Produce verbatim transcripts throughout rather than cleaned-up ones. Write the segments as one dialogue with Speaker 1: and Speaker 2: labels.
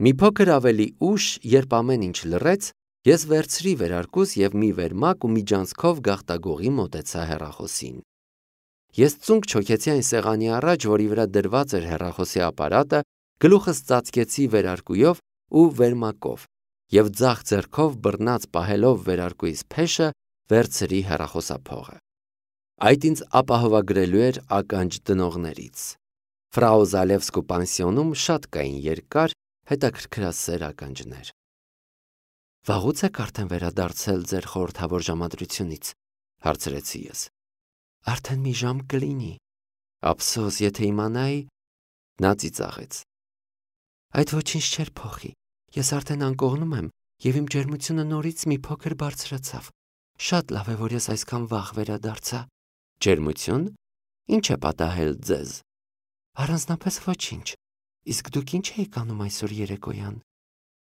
Speaker 1: Մի փոքր ավելի ուշ, երբ ամեն ինչ լռեց, ես վերցրի վերարկուս և մի վերմակ ու միջանցքով գաղտագողի մոտեցա հեռախոսին։ Ես ծունկ չոքեցի այն սեղանի առաջ, որի վրա դրված էր հեռախոսի ապարատը, գլուխս ծածկեցի վերարկուով ու վերմակով և ձախ ձեռքով բռնած պահելով վերարկուիս փեշը վերցրի հեռախոսափողը։ Այդ ինձ ապահովագրելու էր ականջ դնողներից։ Ֆրաու Զալևսկու պանսիոնում շատ կային երկար, հետաքրքրասեր ականջներ։ Վաղուց եք արդեն վերադարձել ձեր խորհրդավոր ժամադրությունից, հարցրեցի ես։ Արդեն մի ժամ կլինի։ Ափսոս, եթե իմանայի, նա ծիծաղեց։ Այդ ոչինչ չէր փոխի։ Ես արդեն անկողնում եմ, և իմ ջերմությունը նորից մի փոքր բարձրացավ։ Շատ լավ է, որ ես այսքան վաղ վերադարձա։ Ջերմություն։ Ինչ է պատահել ձեզ։ Առանձնապես ոչինչ։ Իսկ դուք ինչ էիք անում այսօր երեկոյան։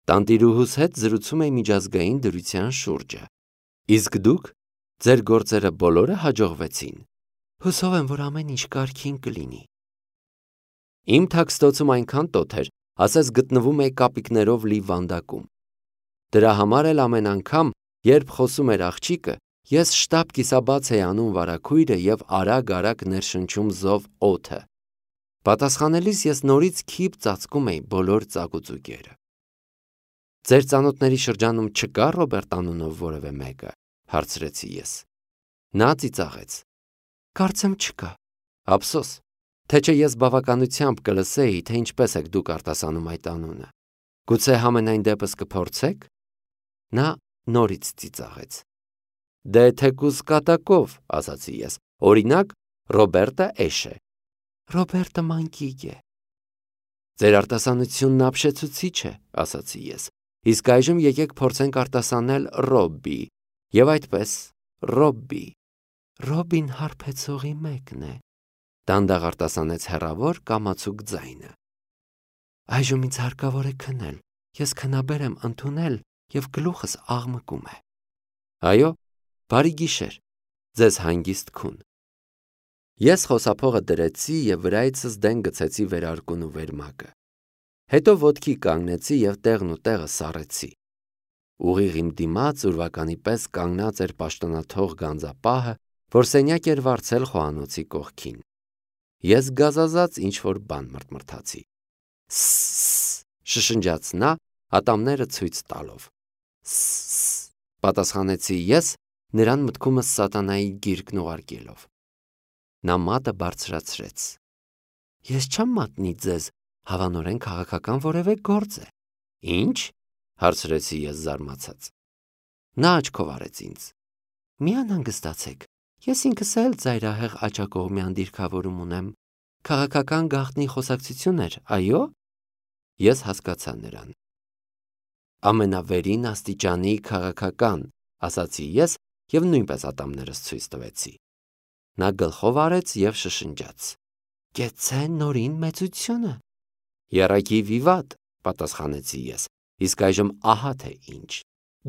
Speaker 1: Տանտիրուհուս հետ զրուցում էի միջազգային դրության շուրջը։ Իսկ դուք, ձեր գործերը բոլորը հաջողվեցին։ Հուսով եմ, որ ամեն ինչ կարգին կլինի։ Իմ թաքստոցում այնքան տոթ էր, ասես գտնվում էի կապիկներով լի վանդակում։ Դրա համար էլ ամեն անգամ, երբ խոսում էր աղջիկը, ես շտապ կիսաբաց էի անում վարագույրը և արագ-արագ ներշնչում զով օդը։ Պատասխանելիս ես նորից քիփ ծածկում էի բոլոր ծակուծուկերը։ Ձեր ծանոթների շրջանում չկա Ռոբերտ անունով որևէ մեկը, հարցրեցի ես։ Նա ծիծաղեց։ Կարծեմ չկա։ Ափսոս, թե չէ ես բավականությամբ կլսեի, թե ինչպես եք դուք արտասանում այդ անունը։ Գուցե համենայն դեպս կփորձեք։ Նա նորից ծիծաղեց։ Դե թեկուզ կատակով, ասացի ես։ Օրինակ, Ռոբերտը էշ է։ Ռոբերտը մանկիկ է։ Ձեր արտասանությունն ապշեցուցիչ է, ասացի ես։ Իսկ այժմ եկեք փորձենք արտասանել Ռոբբի, և այդպես, Ռոբբի։ Ռոբին հարբեցողի մեկն է, դանդաղ արտասանեց հեռավոր կամացուկ ձայնը։ Այժմ ինձ հարկավոր է քնել, ես քնաբեր եմ ընդունել և գլուխս աղմկում է։ Այո, բարի գիշեր, ձեզ հանգիստ քուն։ Ես խոսափողը դրեցի և վրայիցս դեն գցեցի վերարկուն ու վերմակը։ Հետո ոտքի կանգնեցի և տեղն ու տեղը սառեցի։ Ուղիղ իմ դիմաց ուրվականի պես կանգնած էր պաշտոնաթող գանձապահը, որ սենյակ էր վարձել խոհանոցի կողքին։ Ես գազազած ինչ-որ բան մրթմրթացի։ Սսս, շշնջաց նա, ատամները ցույց տալով։ Սսս, պատասխանեցի ես, նրան մտքումս սատանայի գիրկն ուղարկելով։ Նա մատը բարձրացրեց։ Ես չեմ մատնի ձեզ, հավանորեն քաղաքական որևէ գործ է։ Ինչ, հարցրեցի ես զարմացած։ Նա աչքով արեց ինձ։ Մի անհանգստացեք, ես ինքս էլ ծայրահեղ աջակողմյան դիրքավորում ունեմ։ Քաղաքական գաղտնի խոսակցություն էր, այո։ Ես հասկացա նրան։ Ամենավերին աստիճանի քաղաքական, ասացի ես և նույնպես ատամներս ցույց տվեցի։ Նա գլխով արեց և շշնջաց. Կեցցե նորին մեծությունը։ Եռակի վիվատ, պատասխանեցի ես, իսկ այժմ ահա թե ինչ։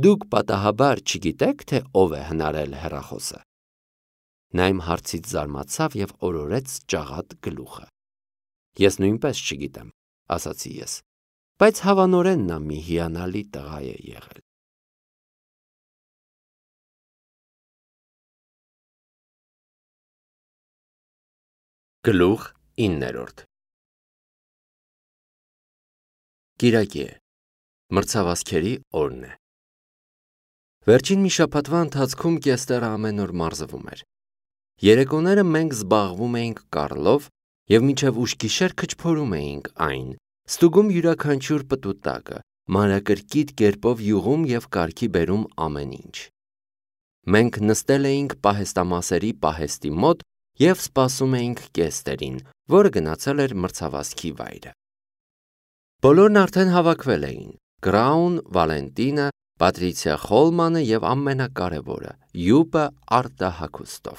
Speaker 1: Դուք պատահաբար չգիտեք, թե ով է հնարել հեռախոսը։ Նա իմ հարցից զարմացավ և օրորեց ճաղատ գլուխը։ Ես նույնպես չգիտեմ, ասացի ես, բայց հավանորեն նա մի հիանալի տղա է եղել։ Գլուխ իններորդ Կիրակի է, մրցավազքերի օրն է։ Վերջին մի շաբաթվա ընթացքում Կեստերը ամեն օր մարզվում էր։ Երեկոները մենք զբաղվում էինք կառլով և մինչև ուշ գիշեր քչփորում էինք այն, ստուգում յուրաքանչյուր պտուտակը, մանրակրկիտ կերպով յուղում և կարգի բերում ամեն ինչ։ Մենք նստել էինք պահեստամասերի պահեստի մոտ և սպասում էինք Կեստերին, որը գնացել էր մրցավազքի վայրը։ Բոլորն արդեն հավաքվել էին. Կրաուն, Վալենտինը, Պատրիցիա Խոլմանը և ամենակարևորը՝ Յուպը արտահագուստով,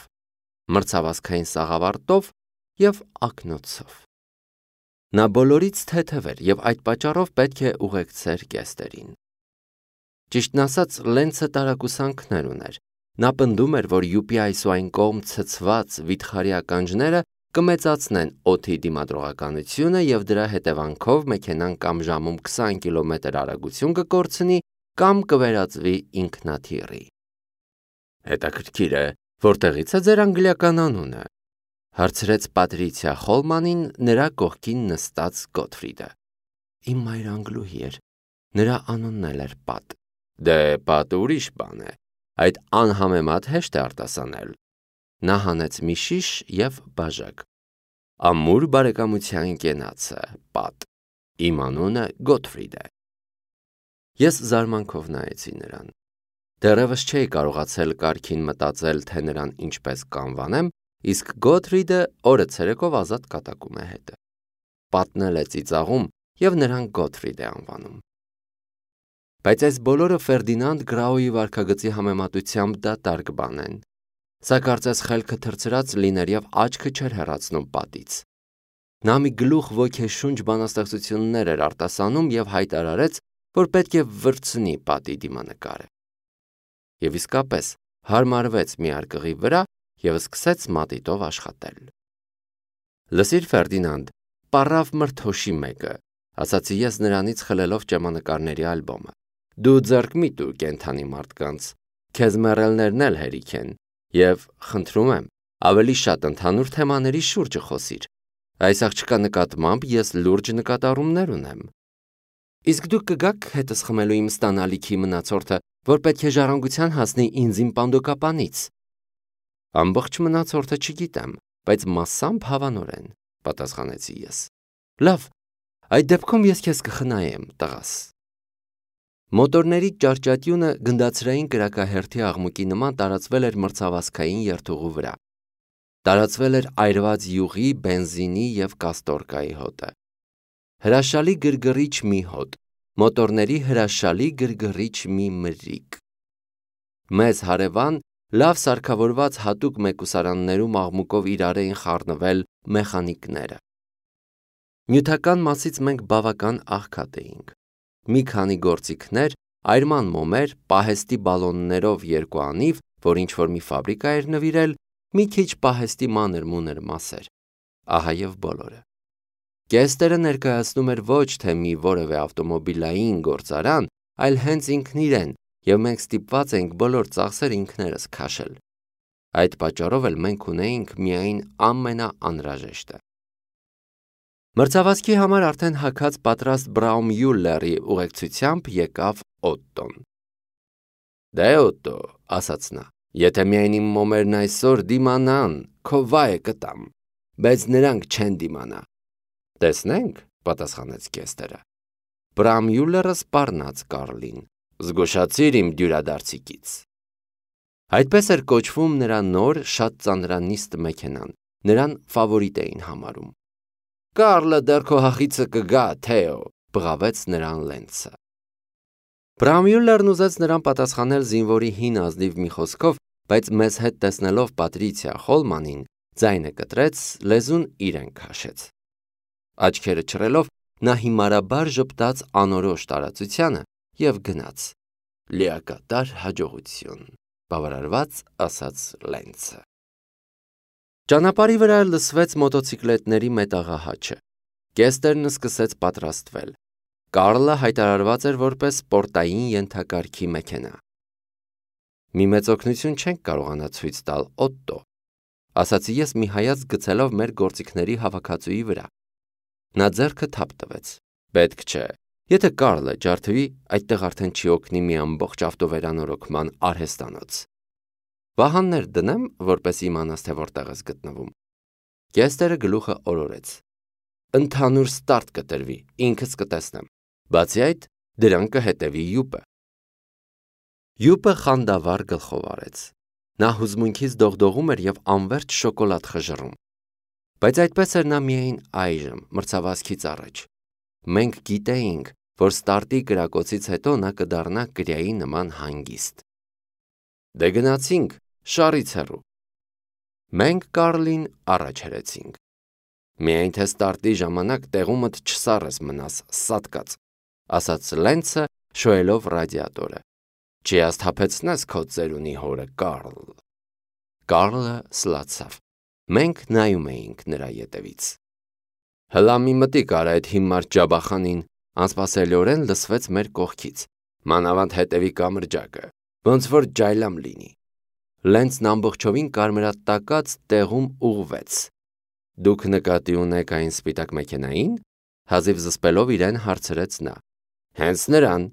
Speaker 1: մրցավազքային սաղավարտով և ակնոցով։ Նա բոլորից թեթև էր և այդ պատճառով պետք է ուղեկցեր Կեստերին։ Ճիշտն ասած, Լենցը տարակուսանքներ ուներ։ Նա պնդում էր, որ Յուպի այս ու այն կողմ ցցված վիթխարի ականջները կմեծացնեն օդի դիմադրողականությունը և դրա հետևանքով մեքենան կամ ժամում քսան կիլոմետր արագություն կկորցնի կամ կվերածվի ինքնաթիռի։ Հետաքրքիր է, որտեղից է ձեր անգլիական անունը, հարցրեց Պատրիցիա Խոլմանին նրա կողքին նստած Գոթֆրիդը։ Իմ մայրանգլուհի էր, նրա անունն էլ էր Պատ։ Դե Պատը ուրիշ բան է, այդ անհամեմատ հեշտ է արտասանել։ Նա հանեց մի շիշ և բաժակ։ Ամուր բարեկամության կենացը, Պատ։ Իմ անունը Գոթֆրիդ է։ Ես զարմանքով նայեցի նրան։ Դեռևս չէի կարողացել կարգին մտածել, թե նրան ինչպես կանվանեմ, իսկ Գոթֆրիդը օրը ցերեկով ազատ կատակում է հետը։ Պատն էլ է ծիծաղում և նրան Գոթֆրիդ է անվանում։ Բայց այս բոլորը Ֆերդինանդ Գրաուի վարքագծի համեմատությամբ դատարկ բան են։ Սա կարծես խելքը թռցրած լիներ և աչքը չէր հեռացնում Պատից։ Նա մի գլուխ ոգեշունչ բանաստեղծություններ էր արտասանում և հայտարարեց, որ պետք է վրձնի Պատի դիմանկարը։ Եվ իսկապես հարմարվեց մի արկղի վրա և սկսեց մատիտով աշխատել։ Լսիր, Ֆերդինանդ, պառավ մրթոշի մեկը, ասացի ես նրանից խլելով ճեմանկարների ալբոմը։ Դու ձեռք մի տու կենդանի մարդկանց, քեզ մեռելներն էլ հերիք են, և խնդրում եմ, ավելի շատ ընդհանուր թեմաների շուրջը խոսիր։ Այս աղջկա նկատմամբ ես լուրջ նկատառումներ ունեմ։ Իսկ դուք կգաք հետս խմելու իմ ստանալիքի մնացորդը, որ պետք է ժառանգության հասնի ինձ իմ պանդոկապանից։ Ամբողջ մնացորդը չգիտեմ, բայց մասամբ հավանորեն, պատասխանեցի ես։ Լավ, այդ դեպքում ես քեզ կխնայեմ, տղաս։ Մոտորների ճարճատյունը գնդացրային կրակահերթի աղմուկի նման տարածվել էր մրցավազքային երթուղու վրա։ Տարածվել էր այրված յուղի, բենզինի և կաստորկայի հոտը։ Հրաշալի գրգռիչ մի հոտ, մոտորների հրաշալի գրգռիչ մի մրրիկ։ Մեզ հարևան լավ սարքավորված հատուկ մեկուսարաններում աղմուկով իրար էին խառնվել մեխանիկները։ Նյութական մասից մենք բավական աղքատ էինք։ Մի քանի գործիքներ, այրման մոմեր, պահեստի բալոններով երկու անիվ, որ ինչ-որ մի ֆաբրիկա էր նվիրել, մի քիչ պահեստի մանր-մունր մասեր։ Ահա և բոլորը։ Կեստերը ներկայացնում էր ոչ թե մի որևէ ավտոմոբիլային գործարան, այլ հենց ինքն իրեն, և մենք ստիպված էինք բոլոր ծախսերը ինքներս քաշել։ Այդ պատճառով էլ մենք ունեինք միայն ամենաանհրաժեշտը։ Մրցավազքի համար արդեն հագած պատրաստ Բրաումյուլլերի ուղեկցությամբ եկավ Օտտոն։ Դե Օտտո, ասաց նա, եթե միայն իմ մոմերն այսօր դիմանան, քո վայը կտամ, բայց նրանք չեն դիմանա։ Տեսնենք, պատասխանեց Կեստերը։ Բրաումյուլլերը սպառնաց Կարլին։ Զգուշացիր իմ դյուրադարձիկից։ Այդպես էր կոչվում նրա նոր, շատ ծանրանիստ մեքենան, նրան ֆավորիտ էին համարում։ Կարլը դեռ քո հախիցը կգա, Թեո, բղավեց նրան Լենցը։ Բրաումյուլլերն ուզեց նրան պատասխանել զինվորի հին ազնիվ մի խոսքով, բայց մեզ հետ տեսնելով Պատրիցիա Խոլմանին, ձայնը կտրեց, լեզուն իրեն քաշեց։ Աչքերը չռելով, նա հիմարաբար ժպտաց անորոշ տարածությանը և գնաց։ Լիակատար հաջողություն, բավարարված ասաց Լենցը։ Ճանապարհի վրա լսվեց մոտոցիկլետների մետաղահաչը։ Կեստերն սկսեց պատրաստվել։ Կարլը հայտարարված էր որպես սպորտային ենթակարգի մեքենա։ Մի մեծ օգնություն չենք կարողանա ցույց տալ, Օտտո, ասացի ես մի հայացք գցելով մեր գործիքների հավաքածուի վրա։ Նա ձեռքը թափ տվեց։ Պետք չէ։ Եթե Կարլը ջարդվի, այդտեղ արդեն չի օգնի մի ամբողջ ավտովերանորոգման արհեստանոց։ Վահաններ դնեմ, որպես իմանաս, թե որտեղ ես գտնվում։ Կեստերը գլուխը օրորեց։ Ընդհանուր ստարտ կտրվի, ինքս կտեսնեմ։ Բացի այդ, դրան կհետևի յուպը։ Յուպը խանդավառ գլխով արեց։ Նա հուզմունքից դողդողում էր և անվերջ շոկոլադ խժռում։ Բայց այդպես էր նա միայն այժմ, մրցավազքից առաջ։ Մենք գիտեինք, որ ստարտի կրակոցից հետո նա կդառնա կրիայի նման հանգիստ։ Դե գնացինք, շարից հեռու։ Մենք Կարլին առաջ հրեցինք։ Միայն թե ստարտի ժամանակ տեղումդ չսառես մնաս, սատկած, ասաց Լենցը, շոյելով ռադիատորը։ Չհասթափեցնես քո ծերունի հորը, Կարլ։ Կարլը սլացավ։ Մենք նայում էինք նրա ետևից։ Հլա մի մտիկ արա այդ հիմար ջաբախանին, անսպասելիորեն լսվեց մեր կողքից, մանավանդ հետևի կամրջակը, ոնց որ ջայլամ լինի։ Լենցն ամբողջովին կարմրատակած տեղում ուղղվեց։ Դուք նկատի ունեք այն սպիտակ մեքենային, հազիվ զսպելով իրեն հարցրեց նա։ Հենց նրան։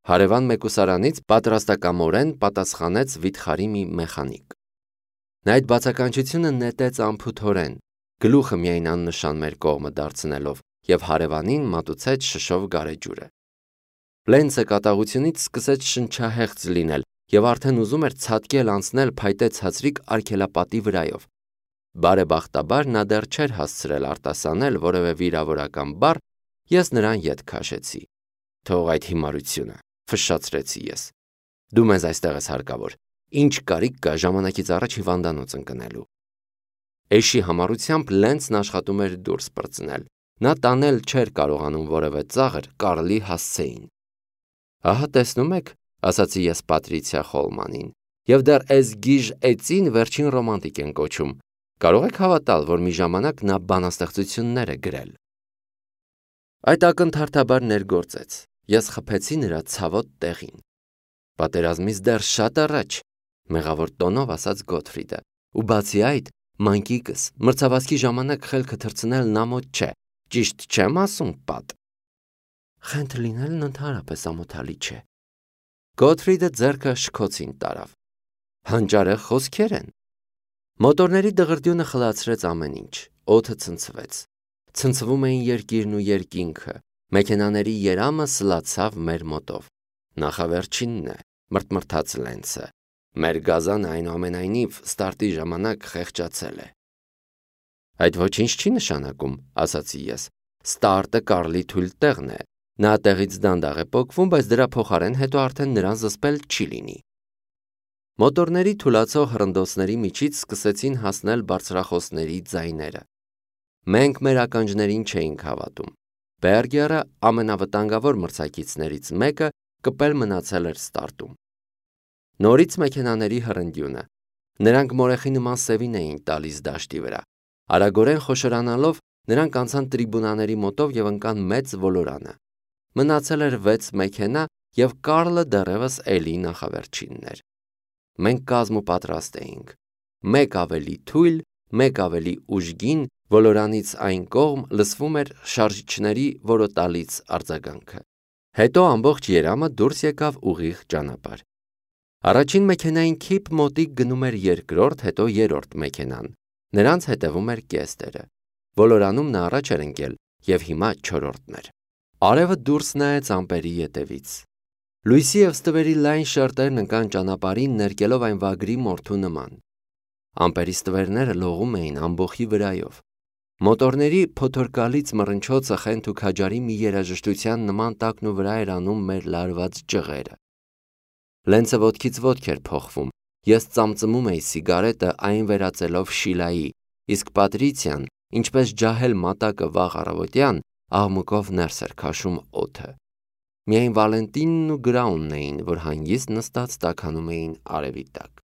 Speaker 1: Հարևան մեկուսարանից պատրաստակամորեն պատասխանեց վիթխարի մի մեխանիկ։ Նա այդ բացականչությունը նետեց անփութորեն, գլուխը միայն աննշան մեր կողմը դարձնելով և հարևանին մատուցեց շշով գարեջուրը։ Լենցը կատաղությունից սկսեց շնչահեղձ լինել և արդեն ուզում էր ցատկել անցնել փայտե ցածրիկ արգելապատի վրայով։ Բարեբախտաբար նա դեռ չէր հասցրել արտասանել որևէ վիրավորական բառ, ես նրան ետ քաշեցի։ Թող այդ հիմարությունը, ֆշշացրեցի ես։ Դու մեզ այստեղ ես հարկավոր, ինչ կարիք կա ժամանակից առաջ հիվանդանոց ընկնելու։ Էշի համառությամբ Լենցն աշխատում էր դուրս պրծնել, նա տանել չէր կարողանում որևէ ծաղր Կարլի հասցեին։ Ահա տեսնում եք, ասացի ես Պատրիցիա Խոլմանին, և դեռ էս գիժ էծին վերջին ռոմանտիկ են կոչում, կարող եք հավատալ, որ մի ժամանակ նա բանաստեղծություններ է գրել։ Այդ ակնթարթաբար ներգործեց, ես խփեցի նրա ցավոտ տեղին։ Պատերազմից դեռ շատ առաջ, մեղավոր տոնով ասաց Գոթֆրիդը, ու բացի այդ, մանկիկս, մրցավազքի ժամանակ խելքը թռցնել նա մոտ չէ, ճիշտ չեմ ասում, Պատ։ Խենթ լինելն ընդհանրապես ամոթալի չէ։ Գոթֆրիդը ձեռքը շքոցին տարավ։ Հանճարեղ խոսքեր են։ Մոտորների դղրդյունը խլացրեց ամեն ինչ, օդը ցնցվեց։ Ցնցվում էին երկիրն ու երկինքը, մեքենաների երամը սլացավ մեր մոտով։ Նախավերջինն է, մրթմրթաց Լենցը։ Մեր գազանը այնուամենայնիվ ստարտի ժամանակ խեղճացել է։ Այդ ոչինչ չի նշանակում, ասացի ես։ Ստարտը Կարլի թույլ տեղն է։ Նա տեղից դանդաղ է պոկվում, բայց դրա փոխարեն հետո արդեն նրան զսպել չի լինի։ Մոտորների թուլացող հռնդոցների միջից սկսեցին հասնել բարձրախոսների ձայները։ Մենք մեր ականջներին չէինք հավատում։ Բերգերը ամենավտանգավոր մրցակիցներից մեկը կպել մնացել էր ստարտում։ Նորից մեքենաների հռնդյունը։ Նրանք մորեխի նման սևին էին տալիս դաշտի վրա։ Արագորեն խոշորանալով նրանք անցան տրիբունաների մոտով և ընկան մեծ ոլորանը։ Մնացել էր վեց մեքենա և Կարլը դեռևս էլի նախավերջինն էր։ Մենք կազմ ու պատրաստ էինք։ Մեկ ավելի թույլ, մեկ ավելի ուժգին ոլորանից այն կողմ լսվում էր շարժիչների որոտալից արձագանքը։ Հետո ամբողջ երամը դուրս եկավ ուղիղ ճանապարհ։ Առաջին մեքենային քիփ մոտիկ գնում էր երկրորդ, հետո երրորդ մեքենան։ Նրանց հետևում էր Կեստերը։ Ոլորանում նա առաջ էր ընկել և հիմա չորրորդն էր։ Արևը դուրս նայեց ամպերի ետևից։ Լույսի և ստվերի լայն շերտերն ընկան ճանապարհին, ներկելով այն վագրի մորթու նման։ Ամպերի ստվերները լողում էին ամբոխի վրայով։ Մոտորների փոթորկալից մռնչոցը խենթ ու քաջարի մի երաժշտության նման տակն ու վրա էր անում մեր լարված ջղերը։ Լենցը ոտքից ոտք էր փոխվում, ես ծամծմում էի սիգարետը այն վերածելով Շիլայի, իսկ Պատրիցիան, ինչպես ջահել մատակը վաղ առավոտյան, աղմուկով ներս էր քաշում օդը։ Միայն Վալենտինն ու Գրաունն էին, որ հանգիստ նստած տաքանում էին արևի տակ։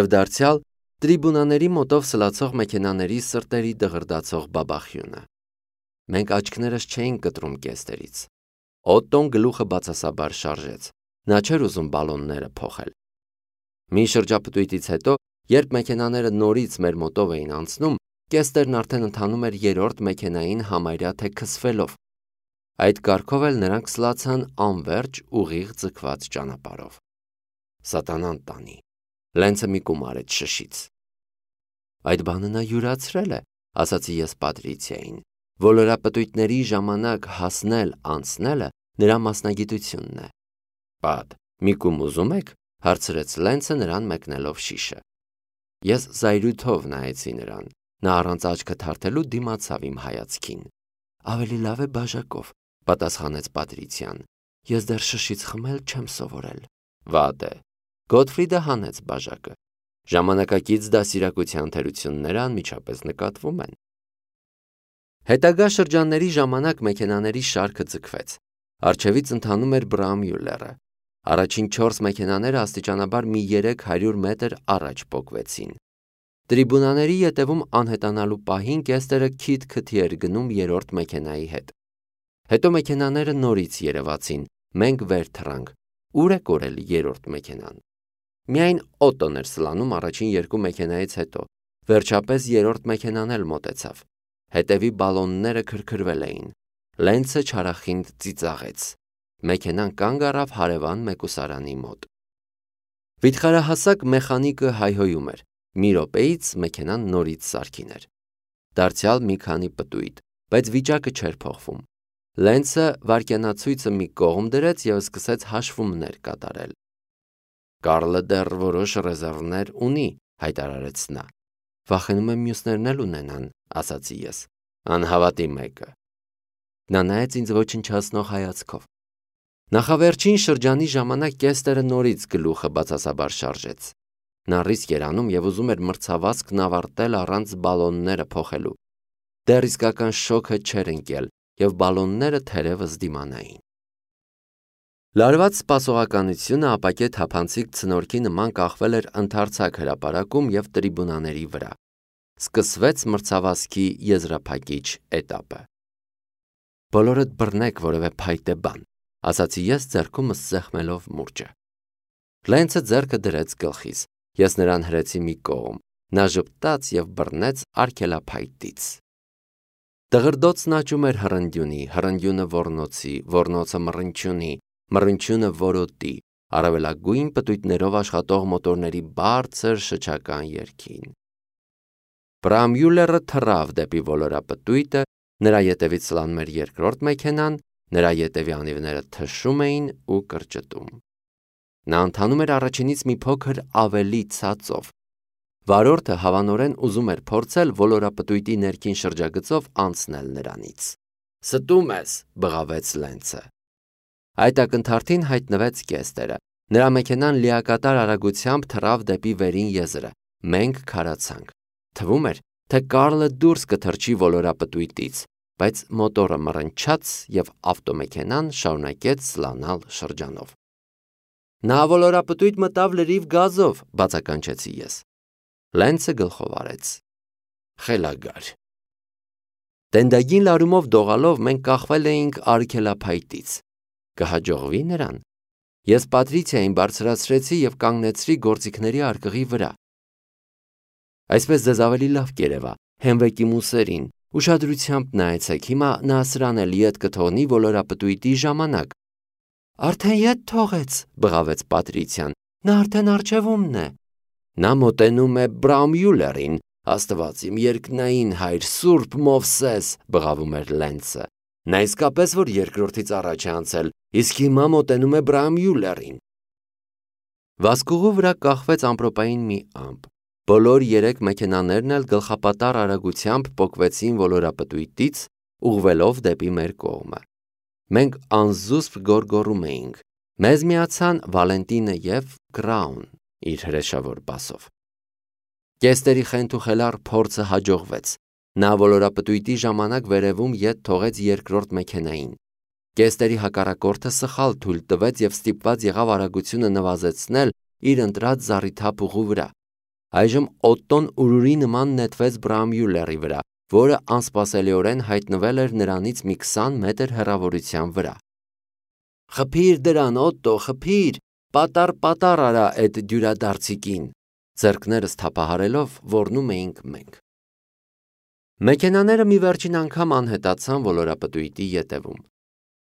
Speaker 1: Եվ դարձյալ տրիբունաների մոտով սլացող մեքենաների սրտերի դղրդացող բաբախյունը։ Մենք աչքներս չէինք կտրում Կեստերից։ Օտտոն գլուխը բացասաբար շարժեց։ Նա չէր ուզում բալոնները փոխել։ Մի շրջապտույտից հետո, երբ մեքենաները նորից մեր մոտով էին անցնում, Կեստերն արդեն ընթանում էր երրորդ մեքենային համարյա թե քսվելով։ Այդ կարգով էլ նրանք սլացան անվերջ ուղիղ ձգված ճանապարհով։ Սատանան տանի։ Լենցը մի կում արեց շշից։ Այդ բանը նա յուրացրել է, ասացի ես Պատրիցիային։ Ոլորապտույտների ժամանակ հասնել անցնելը նրա մասնագիտությունն է։ Պատ, մի կում ուզում եք, հարցրեց Լենցը նրան մեկնելով շիշը։ Ես զայրույթով նայեցի նրան։ Նա առանց աչքը թարթելու դիմացավ իմ հայացքին։ Ավելի լավ է բաժակով, պատասխանեց Պատրիցիան։ Ես դեռ շշից խմել չեմ սովորել։ Վատ է։ Գոթֆրիդը հանեց բաժակը։ Ժամանակակից դասիրակության թերությունները անմիջապես նկատվում են։ Հետագա շրջանների ժամանակ մեքենաների շարքը ձգվեց։ Առջևից ընթանում էր Բրամյուլլերը։ Առաջին չորս մեքենաները աստիճանաբար մի երեք հարյուր մետր առաջ պոկվեցին։ Տրիբունաների ետևում անհետանալու պահին կեստերը քիթ-քթի էր գնում երրորդ մեքենայի հետ։ Հետո մեքենաները նորից երևացին, մենք վեր թռանք։ Ուր է կորել երրորդ մեքենան։ Միայն Օտոն էր սլանում առաջին երկու մեքենայից հետո։ Վերջապես երրորդ մեքենան էլ մոտեցավ։ Հետևի բալոնները քրքրվել էին։ Լենցը չարախինդ ծիծաղեց։ Մեքենան կանգ առավ հարևան մեկուսարանի մոտ։ Վիթխարահասակ մեխանիկը հայհոյում էր։ Մի րոպեից մեքենան նորից սարքին էր։ Դարձյալ մի քանի պտույտ, բայց վիճակը չէր փոխվում։ Լենցը վարկյանացույցը մի կողմ դրեց և սկսեց հաշվումներ կատարել։ Կարլը դեռ որոշ ռեզերվներ ունի, հայտարարեց նա։ Վախենում եմ մյուսներն էլ ունենան, ասացի ես։ Անհավատի մեկը։ Նա նայեց ինձ ոչնչացնող հայացքով։ Նախավերջին շրջանի ժամանակ կեստերը նորից գլուխը բացասաբար շարժեց։ Նա ռիսկ էր անում և ուզում էր մրցավազքն ավարտել առանց բալոնները փոխելու։ Դեռ իսկական շոքը չէր ընկել, և բալոնները թերևս դիմանային։ Լարված սպասողականությունը ապակե թափանցիկ ցնորքի նման կախվել էր ընդարձակ հրապարակում և տրիբունաների վրա։ Սկսվեց մրցավազքի եզրափակիչ էտապը։ Բոլորդ բռնեք որևէ փայտե բան, ասացի ես ձեռքումս սեղմելով մուրճը։ Լենցը ձեռքը դրեց գլխիս, ես նրան հրեցի մի կողմ, նա ժպտաց և բռնեց արգելափայտից։ Տղրդոցն աճում էր հռնդյունի, հռնդյունը ոռնոցի, ոռնոցը մռնչյունի, մռնչյունը որոտի, առավելագույն պտույտներով աշխատող մոտորների բարձր շչական երգին։ Բրամյուլերը թռավ դեպի ոլորապտույտը, նրա ետևից սլանում էր երկրորդ մեքենան, նրա ետևի անիվները թշում էին ու կրճտում։ Նա ընթանում էր առաջինից մի փոքր ավելի ցածով։ Վարորդը հավանորեն ուզում էր փորձել ոլորապտույտի ներքին շրջագծով անցնել նրանից։ Ստում ես, բղավեց Լենցը։ Այդ ակնթարթին հայտնվեց կեստերը։ Նրա մեքենան լիակատար արագությամբ թռավ դեպի վերին եզրը։ Մենք քարացանք։ Թվում էր, թե Կարլը դուրս կթռչի ոլորապտույտից, բայց մոտորը մռնչաց և ավտոմեքենան շարունակեց սլանալ շրջանով։ Նա ոլորապտույտ մտավ լրիվ գազով, բացականչեցի ես։ Լենցը գլխով արեց։ Խելագար։ Տենդագին լարումով դողալով մենք կախվել էինք արգելափայտից։ Կհաջողվի նրան։ Ես Պատրիցիային բարձրացրեցի և կանգնեցրի գործիքների արկղի վրա։ Այսպես ձեզ ավելի լավ կերևա, հենվեք իմ ուսերին, ուշադրությամբ նայեցեք, հիմա նա սրան էլ ետ կթողնի ոլորապտույտի ժամանակ։ Արդեն ետ թողեց, բղավեց Պատրիցիան, նա արդեն առջևումն է։ Նա մոտենում է Բրամյուլերին, Աստված իմ երկնային հայր, Սուրբ Մովսես, բղավում էր Լենցը։ Նա իսկապես որ երկրորդից առաջ է անցել, իսկ հիմա մոտենում է Բրամյուլերին։ Վազքուղու վրա կախվեց ամպրոպային մի ամպ։ Բոլոր երեք մեքենաներն էլ գլխապատառ արագությամբ պոկվեցին ոլորապտույտից, ուղղվելով դեպի մեր կողմը։ Մենք անզուսպ գոռգոռում էինք։ Մեզ միացան Վալենտինը և Կրաուն իր հրեշավոր բասով։ Կեստերի խենթուխելառ փորձը հաջողվեց։ Նա ոլորապտույտի ժամանակ վերևում ետ թողեց երկրորդ մեքենային։ Կեստերի հակառակորդը սխալ թույլ տվեց և ստիպված եղավ արագությունը նվազեցնել իր ընտրած զառիթափ ուղու վրա։ Այժմ Օտտոն ուրուրի նման նետվեց Բրամյուլերի վրա, որը անսպասելիորեն հայտնվել էր նրանից մի քսան մետր հեռավորության վրա։ Խփիր դրան, Օտտո, խփիր, պատառ-պատառ արա էդ դյուրադարձիկին, ձեռքներս թափահարելով ոռնում էինք մենք։ Մեքենաները մի վերջին անգամ անհետացան ոլորապտույտի ետևում։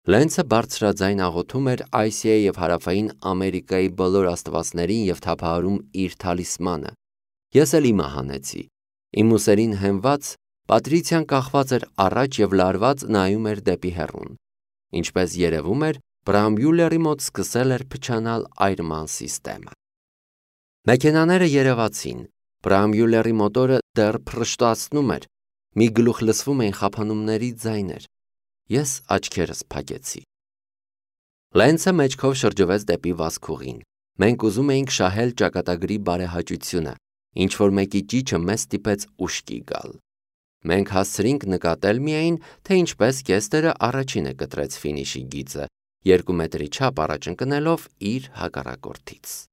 Speaker 1: Լենցը բարձրաձայն աղոթում էր Ասիայի և Հարավային Ամերիկայի բոլոր աստվածներին և թափահարում իր թալիսմանը։ Ես էլ իմը հանեցի։ Իմ ուսերին հենված Պատրիցիան կախված էր առաջ և լարված նայում էր դեպի հեռուն։ Ինչպես երևում էր, Բրամյուլերի մոտ սկսել էր փչանալ այրման սիստեմը։ Մեքենաները երևացին։ Բրամյուլերի մոտորը դեռ փռշտացնում էր։ Մի գլուխ լսվում էին խափանումների ձայներ։ Ես աչքերս փակեցի։ Լենցը մեջքով շրջվեց դեպի վազքուղին։ Մենք ուզում էինք շահել ճակատագրի բարեհաճությունը, ինչ-որ մեկի ճիչը մեզ ստիպեց ուշքի գալ։ Մենք հասցրինք նկատել միայն, թե ինչպես կեստերը առաջինը կտրեց ֆինիշի գիծը, երկու մետրի չափ առաջ ընկնելով իր հակառակորդից։